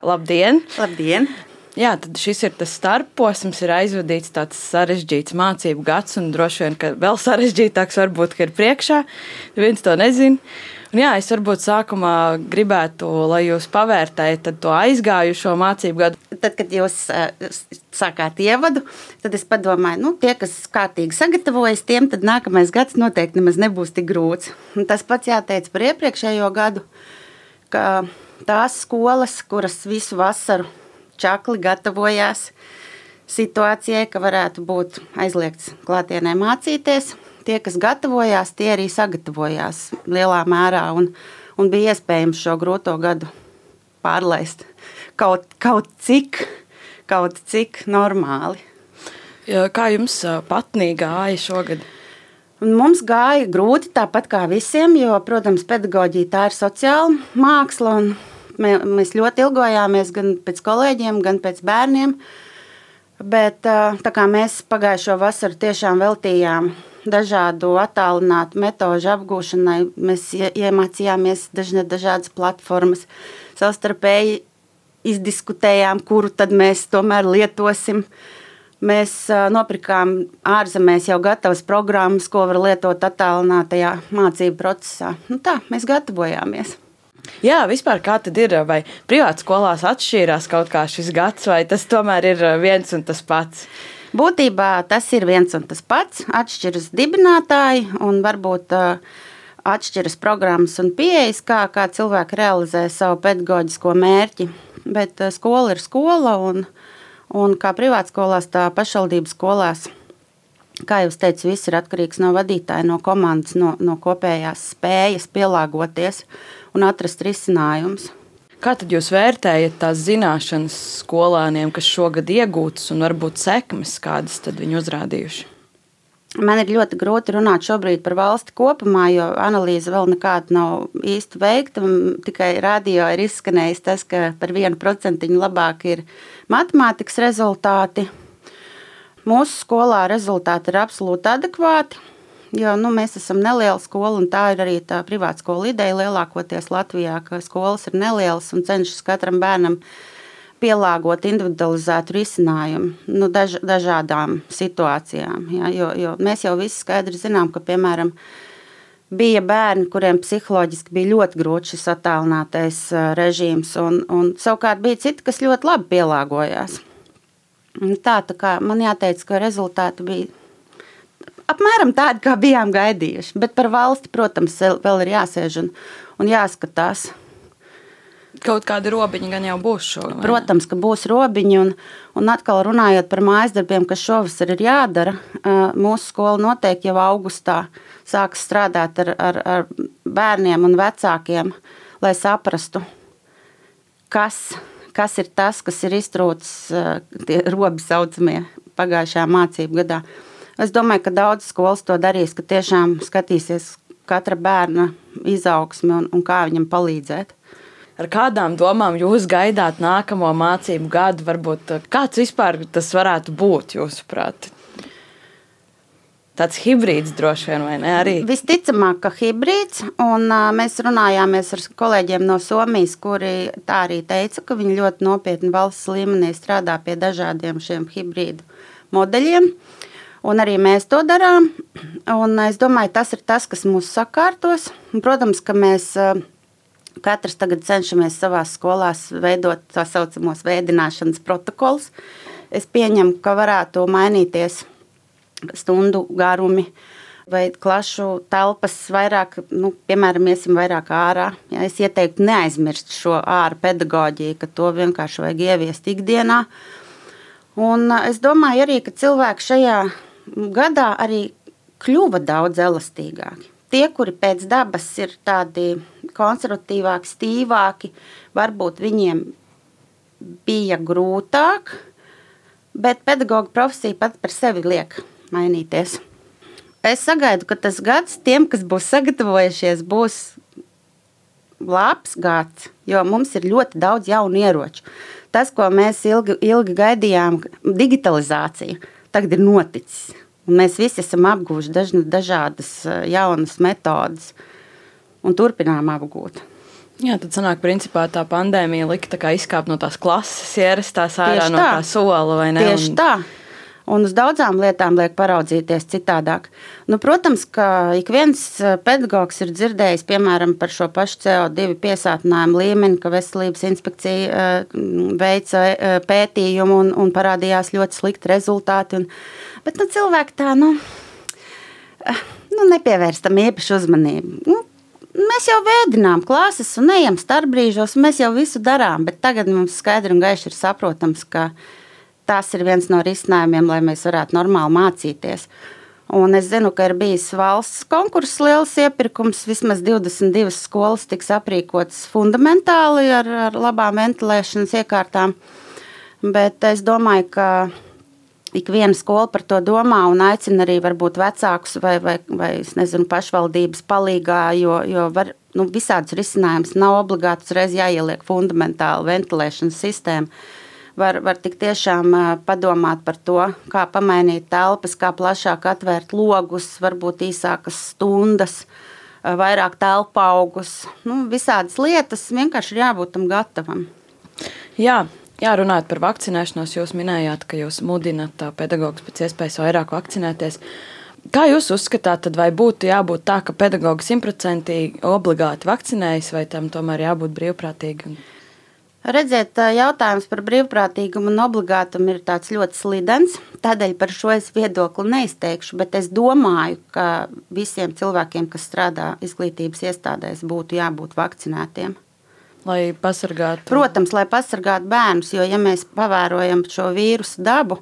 Labdien! Labdien! Jā, tad šis ir tas starpposms, ir aizvadīts tāds sarežģīts mācību gads, un droši vien, ka vēl sarežģītāks varbūt, ka ir priekšā. Viens to nezina. Un jā, es varbūt sākumā gribētu, lai jūs pavērtējat to aizgājušo mācību gadu. Tad, kad jūs sākāt ievadu, tad es padomāju, tie, kas kārtīgi sagatavojas, tiem tad nākamais gads noteikti nemaz nebūs tik grūts. Un tas pats jāteic par iepriekšējo gadu, ka tās skolas, kuras visu vasaru čakli gatavojās situācijai, ka varētu būt aizliegts klātienē mācīties, tie, kas gatavojās, tie arī sagatavojās lielā mērā un bija iespējams šo grūto gadu pārlaist kaut cik normāli. Kā jums patnī gāja šogad? Mums gāja grūti, tāpat kā visiem, jo, protams, pedagoģija tā ir sociāla māksla, un mēs ļoti ilgojāmies gan pēc kolēģiem, gan pēc bērniem, bet tā kā mēs pagājušo vasaru tiešām veltījām dažādu attālinātu metožu apgūšanai, mēs iemācījāmies dažādas platformas, savstarpēji izdiskutējām, kuru tad mēs tomēr lietosim. Mēs nopirkām ārzemēs jau gatavas programmas, ko var lietot attālinātajā mācību procesā. Tā, mēs gatavojāmies. Jā, vispār kā tad ir, vai privātu skolās atšķīrās kaut kā šis gads, vai tas tomēr ir viens un tas pats? Būtībā tas ir viens un tas pats, atšķiras dibinātāji un varbūt atšķiras programmas un pieejas, kā cilvēki realizē savu pedagoģisko mērķi, bet skola ir skola un kā privātskolās, tā pašvaldības skolās, kā jau teicu, viss ir atkarīgs no vadītāja, no komandas, no kopējās spējas pielāgoties un atrast risinājumus. Kā tad jūs vērtējat tās zināšanas skolāniem, kas šogad iegūtas un varbūt sekmes, kādas tad viņi uzrādījuši? Man ir ļoti grūti runāt šobrīd par valsti kopumā, jo analīze vēl nekāda nav īsti veikta. Tikai radio ir izskanējis tas, ka par 1% labāk ir matemātikas rezultāti. Mūsu skolā rezultāti ir absolūti adekvāti, jo mēs esam neliela skola, un tā ir arī tā privāta skola ideja lielākoties Latvijā, ka skolas ir nelielas un cenšas katram bērnam pielāgot individualizētu risinājumu dažādām situācijām. Ja, jo mēs jau visi skaidri zinām, ka, piemēram, bija bērni, kuriem psiholoģiski bija ļoti grūti šis attālinātais režīms, un savukārt bija citi, kas ļoti labi pielāgojās. Tā kā man jāteic, ka rezultāti bija apmēram tādi, kā bijām gaidījuši, bet par valsti, protams, vēl ir jāsēž un jāskatās. Kaut kādi robiņi gan jau būs šogad. Protams, ka būs robiņi, un atkal runājot par mājasdarbiem, kas šovasar ir jādara, mūsu skola noteikti jau augustā sāks strādāt ar bērniem un vecākiem, lai saprastu, kas ir tas, kas ir iztrūcis tie robi saucamie pagājušajā mācību gadā. Es domāju, ka daudz skolas to darīs, ka tiešām skatīsies katra bērna izaugsmi un kā viņam palīdzēt. Ar kādām domām jūs gaidāt nākamo mācību gadu? Varbūt kāds vispār tas varētu būt, jūsuprāt? Tāds hibrīds droši vien, vai ne? Arī? Visticamāk, ka hibrīds, un mēs runājāmies ar kolēģiem no Somijas, kuri tā arī teica, ka viņi ļoti nopietni valsts līmenī strādā pie dažādiem šiem hibrīdu modeļiem, un arī mēs to darām, un es domāju, tas ir tas, kas mūs sakārtos, un, protams, ka mēs katrs tagad cenšamies savās skolās veidot tā saucamos vēdināšanas protokolus. Es pieņemu, ka varētu mainīties stundu garumi vai klašu telpas vairāk, piemēram, iesim vairāk ārā. Ja, es ieteiktu neaizmirst šo āra pedagoģiju, ka to vienkārši vajag ieviest ikdienā. Un es domāju arī, ka cilvēki šajā gadā arī kļuva daudz elastīgāki. Tie, kuri pēc dabas ir tādi konservatīvāki, stīvāki, varbūt viņiem bija grūtāk, bet pedagoga profesija pat par sevi liek mainīties. Es sagaidu, ka tas gads tiem, kas būs sagatavojušies, būs labs gads, jo mums ir ļoti daudz jaunu ieroču. Tas, ko mēs ilgi gaidījām, digitalizācija, tagad ir noticis. Un mēs visi esam apguvuši dažādas jaunas metodas un turpinām apgūt. Jā, tad sanāk, principā tā pandēmija lika tā kā izkāpt no tās klases, ierastās ārā no tā sola, vai ne? Tieši tā. Un uz daudzām lietām liek paraudzīties citādāk. Nu, protams, ka ik viens pedagogs ir dzirdējis, piemēram, par šo pašu CO2 piesātinājumu līmeni, ka veselības inspekcija veica pētījumu un parādījās ļoti slikti rezultāti. Bet cilvēki tā, nepievērs tam īpašu uzmanību. Mēs jau vēdinām klases un ejam starpbrīžos, un mēs jau visu darām, bet tagad mums skaidri un gaiši ir saprotams, ka tas ir viens no risinājumiem, lai mēs varētu normāli mācīties. Un es zinu, ka ir bijis valsts konkurss, liels iepirkums, vismaz 22 skolas tiks aprīkotas fundamentāli ar labām ventilēšanas iekārtām, bet es domāju, ka ik viena skola par to domā un aicina arī varbūt vecākus vai es nezinu, pašvaldības palīgā, jo var, visādus risinājumus nav obligāti uzreiz jāieliek fundamentāli ventilēšanas sistēma. Var tik tiešām padomāt par to, kā pamainīt telpas, kā plašāk atvērt logus, varbūt īsākas stundas, vairāk telpu augus. Visādas lietas vienkārši ir jābūt tam gatavam. Jā, runājot par vakcinēšanos, jūs minējāt, ka jūs mudināt pedagogus pēc iespējas vairāk vakcinēties. Kā jūs uzskatāt, tad vai būtu jābūt tā, ka pedagogi 100% obligāti vakcinējas, vai tam tomēr jābūt brīvprātīgi? Redziet, jautājums par brīvprātīgumu un obligātumu ir tāds ļoti slidens, tādēļ par šo es viedokli neizteikšu, bet es domāju, ka visiem cilvēkiem, kas strādā izglītības iestādēs, būtu jābūt vakcinētiem. Lai pasargātu? Protams, lai pasargātu bērnus, jo ja mēs pavērojam šo vīrusu dabu,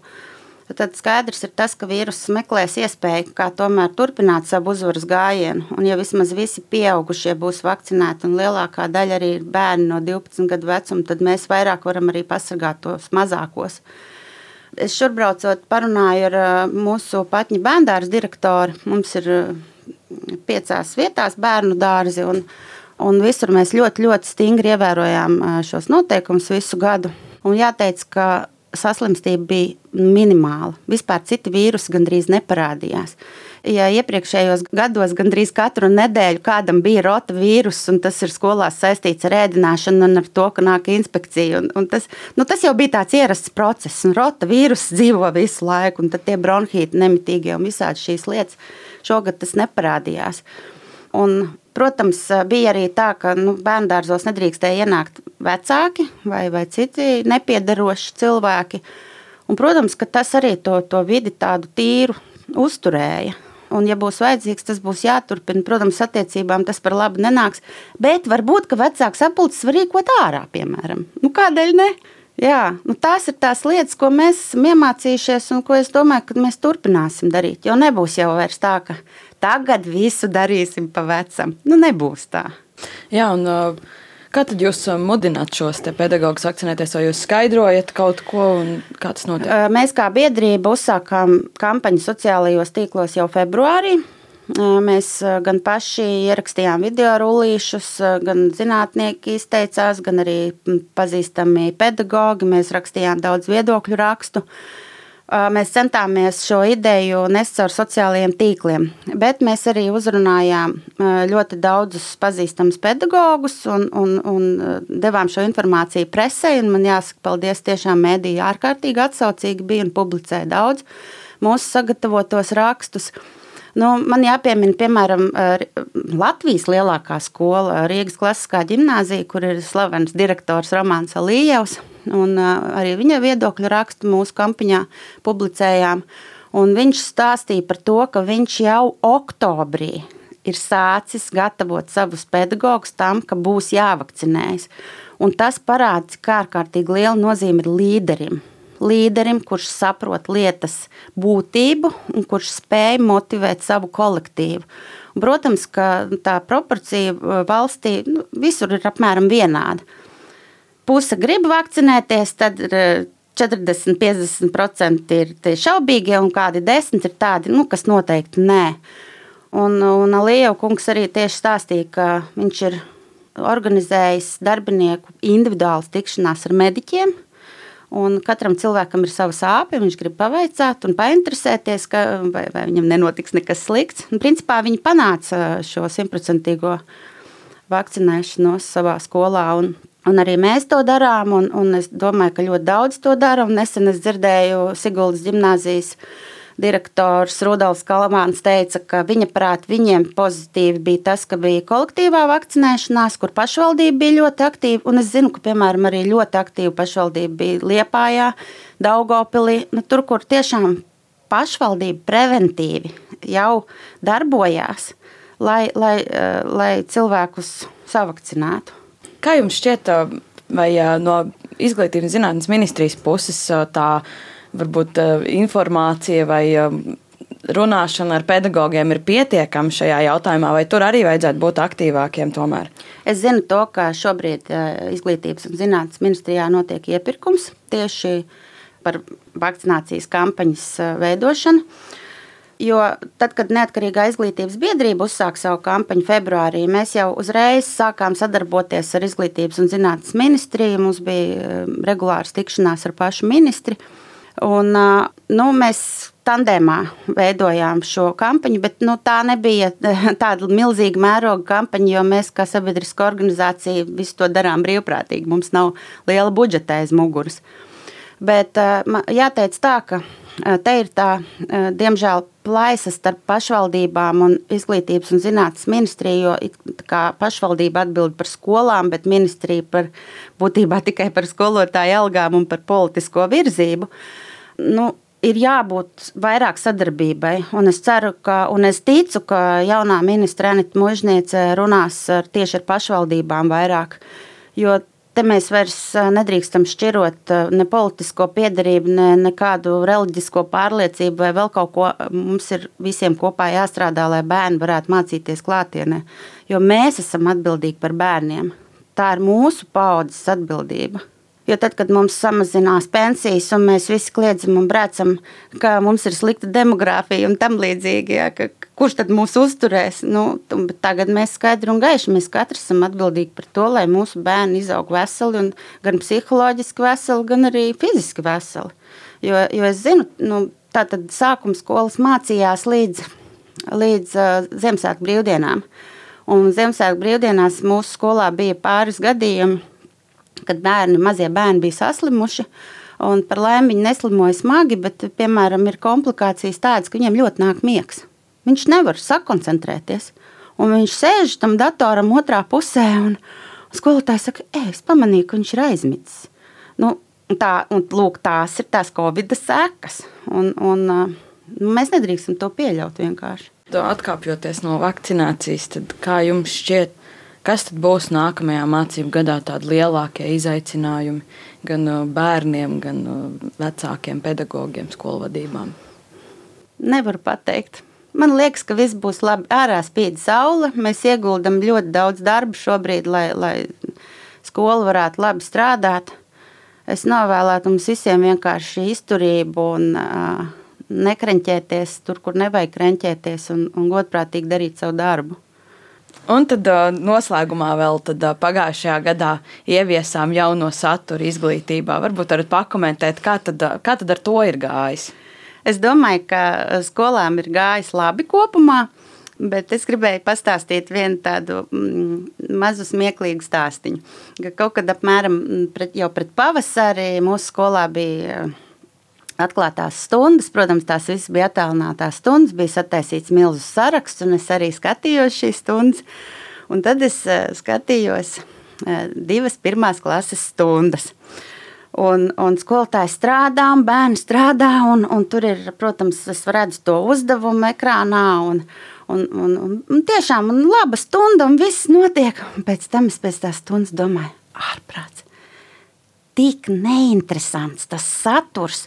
tad skaidrs ir tas, ka vīruss meklēs iespēju, kā tomēr turpināt savu uzvaras gājienu. Un ja vismaz visi pieaugušie būs vakcinēti un lielākā daļa arī ir bērni no 12 gadu vecuma, tad mēs vairāk varam arī pasargāt tos mazākos. Es šurbraucot parunāju ar mūsu Patņu bērndārza direktoru. Mums ir 5 vietās bērnu dārzi un visur mēs ļoti, ļoti stingri ievērojām šos noteikumus visu gadu. Un jāteic, ka saslimstība bija minimāla. Vispār citi vīrusi gandrīz neparādījās. Ja iepriekšējos gados gandrīz katru nedēļu kādam bija rota vīrus, un tas ir skolās saistīts ar ēdināšanu un ar to, ka nāk inspekcija, un tas jau bija tāds ierasts process, un rota vīrus dzīvo visu laiku, un tad tie bronhīti nemitīgie un visādi šīs lietas, šogad tas neparādījās. Un, protams, bija arī tā, ka bērndārzos nedrīkstēja ienākt vecāki vai citi nepiederoši cilvēki. Un, protams, ka tas arī to vidi tādu tīru uzturēja. Un, ja būs vajadzīgs, tas būs jāturpina. Protams, attiecībām tas par labu nenāks. Bet varbūt, ka vecāks sapulces var rīkot ārā, piemēram. Kādēļ ne? Jā, tās ir tās lietas, ko mēs esam iemācījušies un ko es domāju, ka mēs turpināsim darīt. Jo nebūs jau vairs tā, ka tagad visu darīsim pa vecam. Nebūs tā. Jā, un kā tad jūs mudināt šos pedagogus vakcinēties, vai jūs skaidrojat kaut ko un kā tas notiek? Mēs kā biedrība uzsākām kampaņu sociālajos tīklos jau februārī. Mēs gan paši ierakstījām video rullīšus, gan zinātnieki izteicās, gan arī pazīstami pedagogi. Mēs rakstījām daudz viedokļu rakstu. Mēs centāmies šo ideju nest caur sociālajiem tīkliem, bet mēs arī uzrunājām ļoti daudzus pazīstamus pedagogus un devām šo informāciju presei. Man jāsaka paldies, tiešām mēdīji ārkārtīgi atsaucīgi bija un publicēja daudz mūsu sagatavotos rakstus. Man jāpiemina, piemēram, Latvijas lielākā skola, Rīgas klasiskā ģimnāzija, kur ir slavens direktors Romāns Alijevs, un arī viņa viedokļu rakstu mūsu kampaņā publicējām. Un viņš stāstīja par to, ka viņš jau oktobrī ir sācis gatavot savus pedagogus tam, ka būs jāvakcinējas. Un tas parāda, cik ārkārtīgi liela nozīme ir līderim, kurš saprot lietas būtību un kurš spēj motivēt savu kolektīvu. Un, protams, ka tā proporcija valstī visur ir apmēram vienāda. Puse grib vakcinēties, tad 40–50% ir tie šaubīgie un kādi 10% ir tādi, kas noteikti nē. Un Alijeva kungs arī tieši stāstīja, ka viņš ir organizējis darbinieku individuālas tikšanās ar mediķiem. Un katram cilvēkam ir sava sāpe, viņš grib pavaicāt un painteresēties, vai viņam nenotiks nekas slikts. Un, principā viņi panāca šo 100% vakcinēšanos savā skolā. Un arī mēs to darām, un es domāju, ka ļoti daudz to dara. Nesen es dzirdēju Siguldas ģimnāzijas direktors Rudolfs Kalamāns teica, ka viņa prāt viņiem pozitīvi bija tas, ka bija kolektīvā vakcinēšanās, kur pašvaldība bija ļoti aktīva. Un es zinu, ka, piemēram, arī ļoti aktīva pašvaldība bija Liepājā, Daugavpilī, tur, kur tiešām pašvaldība preventīvi jau darbojās, lai cilvēkus savakcinētu. Kā jums šķiet, vai no Izglītības un zinātnes ministrijas puses tā varbūt informācija vai runāšana ar pedagogiem ir pietiekama šajā jautājumā, vai tur arī vajadzētu būt aktīvākiem tomēr? Es zinu to, ka šobrīd Izglītības un zinātnes ministrijā notiek iepirkums tieši par vakcinācijas kampaņas veidošanu. Jo tad, kad Neatkarīgā izglītības biedrība uzsāka savu kampaņu februārī, mēs jau uzreiz sākām sadarboties ar Izglītības un zinātnes ministriju. Mums bija regulāras tikšanās ar pašu ministri. Un, mēs tandēmā veidojām šo kampaņu, bet tā nebija tāda milzīga mēroga kampaņa, jo mēs kā sabiedriska organizācija visu to darām brīvprātīgi. Mums nav liela budžeta aiz muguras. Bet jāteic tā, ka te ir tā, diemžēl, plaisa starp pašvaldībām un Izglītības un zinātnes ministriju, jo kā pašvaldība atbild par skolām, bet ministrija būtībā tikai par skolotāju algām un par politisko virzību. Ir jābūt vairāk sadarbībai, un es ceru, un es ticu, ka jaunā ministra Anita Mužniece runās tieši ar pašvaldībām vairāk, jo te mēs vairs nedrīkstam šķirot ne politisko piederību, ne kādu reliģisko pārliecību vai vēl kaut ko. Mums ir visiem kopā jāstrādā, lai bērni varētu mācīties klātienē, jo mēs esam atbildīgi par bērniem. Tā ir mūsu paaudzes atbildība. Jo tad, kad mums samazinās pensijas un mēs visi kliedzam un brēcam, ka mums ir slikta demogrāfija un tam līdzīgi, kurš tad mūs uzturēs? Tagad mēs skaidri un gaiši, mēs katrs esam atbildīgi par to, lai mūsu bērni izaug veseli, un gan psiholoģiski veseli, gan arī fiziski veseli. Jo es zinu, tātad sākuma skolas mācījās līdz Ziemassvētku brīvdienām. Un Ziemassvētku brīvdienās mūsu skolā bija pāris gadījumi, kad mazie bērni bija saslimuši, un par laimi viņi neslimoja smagi, bet, piemēram, ir komplikācijas tādas, ka viņiem ļoti nāk miegs. Viņš nevar sakoncentrēties, un viņš sēž tam datoram otrā pusē, un skolotājs saka, es pamanīju, ka viņš ir aizmidzis. Tās ir tās Covid sekas, un mēs nedrīkstam to pieļaut vienkārši. Atkāpjoties no vakcinācijas, tad kā jums šķiet, kas tad būs nākamajā mācību gadā tādi lielākie izaicinājumi gan bērniem, gan vecākiem pedagogiem, skolvadībām? Nevaru pateikt. Man liekas, ka viss būs labi. Ārā spīd saule. Mēs ieguldam ļoti daudz darba šobrīd, lai skola varētu labi strādāt. Es novēlētu mums visiem vienkārši izturību un nekreņķēties tur, kur nevajag kreņķēties, un godprātīgi darīt savu darbu. Un tad noslēgumā vēl pagājušajā gadā ieviesām jauno saturu izglītībā. Varbūt varat pakomentēt, kā tad ar to ir gājis? Es domāju, ka skolām ir gājis labi kopumā, bet es gribēju pastāstīt vienu tādu mazu smieklīgu stāstiņu. Kaut kad apmēram jau pret pavasari mūsu skolā bija atklātās stundas. Protams, tās visas bija attālinātās stundas, bija sataisīts milzu saraksts, un es arī skatījos šīs stundas. Un tad es skatījos 2 pirmās klases stundas. Un skolotāji strādā, un bērni strādā, un tur ir, protams, es redzu to uzdevumu ekrānā, un tiešām laba stunda, un viss notiek. Un pēc tam es pēc tās stundas domāju, ārprāts, tik neinteresants tas saturs.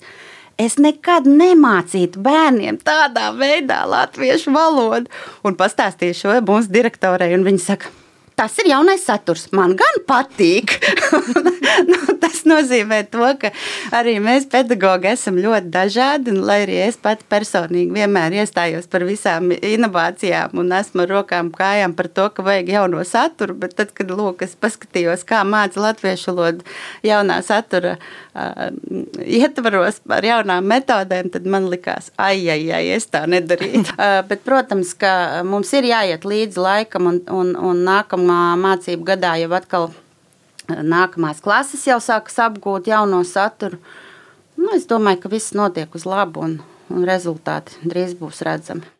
Es nekad nemācītu bērniem tādā veidā latviešu valodu. Un pastāstīju šo mūsu direktorei, un viņa saka, tas ir jaunais saturs, man gan patīk. Tas nozīmē to, ka arī mēs pedagogi esam ļoti dažādi, un lai arī es pati personīgi vienmēr iestājos par visām inovācijām un esmu ar rokām kājām par to, ka vajag jauno saturu, bet tad, kad es paskatījos, kā māca latviešu valodu jaunā satura ietvaros ar jaunām metodēm, tad man likās, es tā nedarītu. Bet, protams, ka mums ir jāiet līdzi laikam un nākamā mācību gadā jau atkal nākamās klases jau sākas apgūt jauno saturu. Es domāju, ka viss notiek uz labu un rezultāti drīz būs redzami.